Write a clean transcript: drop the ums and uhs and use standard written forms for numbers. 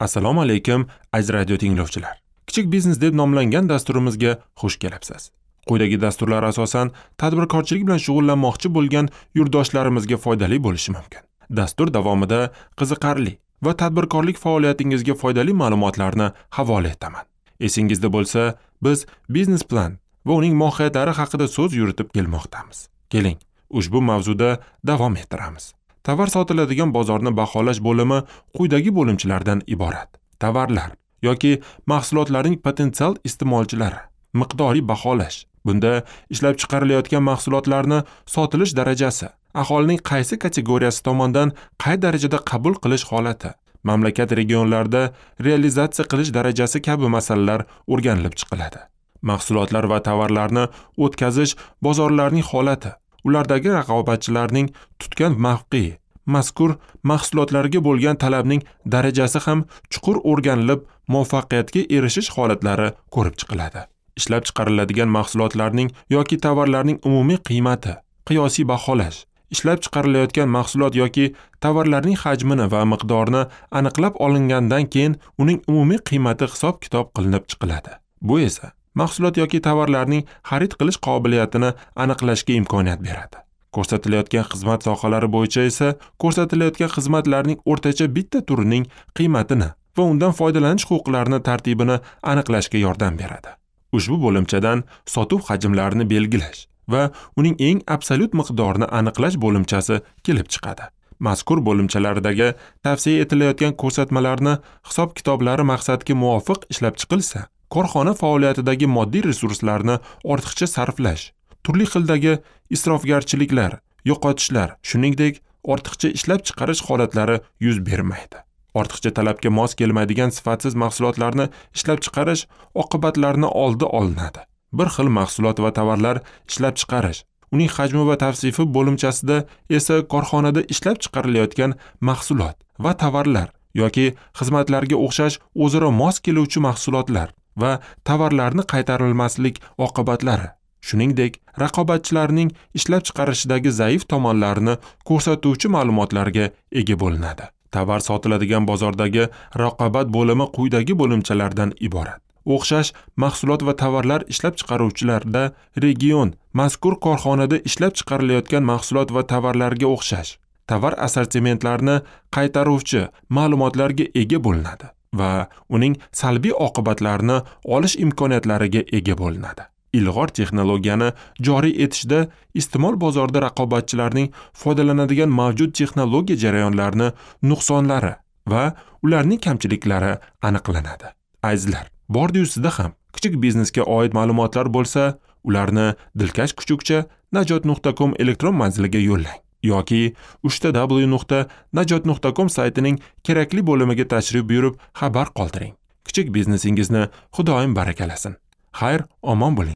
Assalomu alaykum, aziz radio tinglovchilar. Kichik biznes deb nomlangan dasturimizga xush kelibsiz. Quyidagi dasturlar asosan tadbirkorchilik bilan shug'ullanmoqchi bo'lgan yurtdoshlarimizga foydali bo'lishi mumkin. Dastur davomida qiziqarli va tadbirkorlik faoliyatingizga foydali ma'lumotlarni havola etaman. Esingizda bo'lsa, biz biznes plan va uning mohiyatlari haqida so'z yuritib kelmoqdamiz. Keling, ushbu mavzuda davom ettiramiz. Tovar sotiladigan bozorni baholash bo'limi quyidagi bo'limchalardan iborat. Tovarlar yoki mahsulotlarning potensial iste'molchilari, miqdoriy baholash. Bunda ishlab chiqarilayotgan mahsulotlarni sotilish darajasi, aholining qaysi kategoriyasi tomonidan qay darajada qabul qilish holati, mamlakat regionlarida realizatsiya qilish darajasi kabi masalalar o'rganilib chiqiladi. Mahsulotlar va tovarlarni o'tkazish bozorlarining holati, ulardagi raqobatchilarning tutgan mavqei, mazkur mahsulotlarga bo'lgan talabning darajasi ham chuqur o'rganilib, muvaffaqiyatga erishish holatlari ko'rib chiqiladi. Ishlab chiqariladigan mahsulotlarning yoki tovarlarning umumiy qiymati, qiyosiy baholash, ishlab chiqarilayotgan mahsulot yoki tovarlarning hajmini va miqdorini aniqlab olingandan keyin uning umumiy qiymati hisob-kitob qilinib chiqiladi. Bu esa mahsulot yoki tovarlarning xarid qilish qobiliyatini aniqlashga imkoniyat beradi. Ko'rsatilayotgan xizmat sohalari bo'yicha esa ko'rsatilayotgan xizmatlarning o'rtacha bitta turining qiymatini va undan foydalanish huquqlarini tartibini aniqlashga yordam beradi. Ushbu bo'limchadan sotuv hajmlarini belgilash va uning eng absolyut miqdorini aniqlash bo'limchasi kelib chiqadi. Mazkur bo'limchalardagi tavsiya etilayotgan ko'rsatmalarni hisob-kitoblari maqsadga muvofiq ishlab chiqilsa, korxona faoliyatidagi moddiy resurslarni ortiqcha sarflash, turli xildagi isrofgarchiliklar, yo'qotishlar, shuningdek, ortiqcha ishlab chiqarish holatlari yuz bermaydi. Ortiqcha talabga mos kelmaydigan sifatsiz mahsulotlarni ishlab chiqarish oqibatlarini oldi olinadi. Bir xil mahsulot va tovarlar ishlab chiqarish, uning hajmi va tavsifi bo'limchasida esa korxonada ishlab chiqarilayotgan mahsulot va tovarlar yoki xizmatlarga o'xshash o'zaro mos keluvchi mahsulotlar va tovarlarni qaytarilmaslik oqibatlari, shuningdek, raqobatchilarning ishlab chiqarishidagi zaif tomonlarini ko'rsatuvchi ma'lumotlarga ega bo'linadi. Tovar sotiladigan bozordagi raqobat bo'limi quyidagi bo'limchalardan iborat. O'xshash mahsulot va tovarlar ishlab chiqaruvchilarda region, mazkur korxonada ishlab chiqarilayotgan mahsulot va tovarlarga o'xshash tovar assortimentlarini qaytaruvchi ma'lumotlarga ega bo'linadi va uning salbiy oqibatlarini olish imkoniyatlariga ega bo'linadi. Ilg'or texnologiyani joriy etishda iste'mol bozorida raqobatchilarning foydalanadigan mavjud texnologiya jarayonlarini nuqsonlari va ularning kamchiliklari aniqlanadi. Azizlar, bordi-yu sizda ham kichik biznesga oid ma'lumotlar bo'lsa, ularni dilkash kuchukcha najot.com elektron manziliga yo'llang yoki www.najot.com saytining kerakli bo'limiga tashrif buyurib xabar qoldiring. Kichik biznesingizni Xudoyim barakalasin. Xayr, omon bo'ling.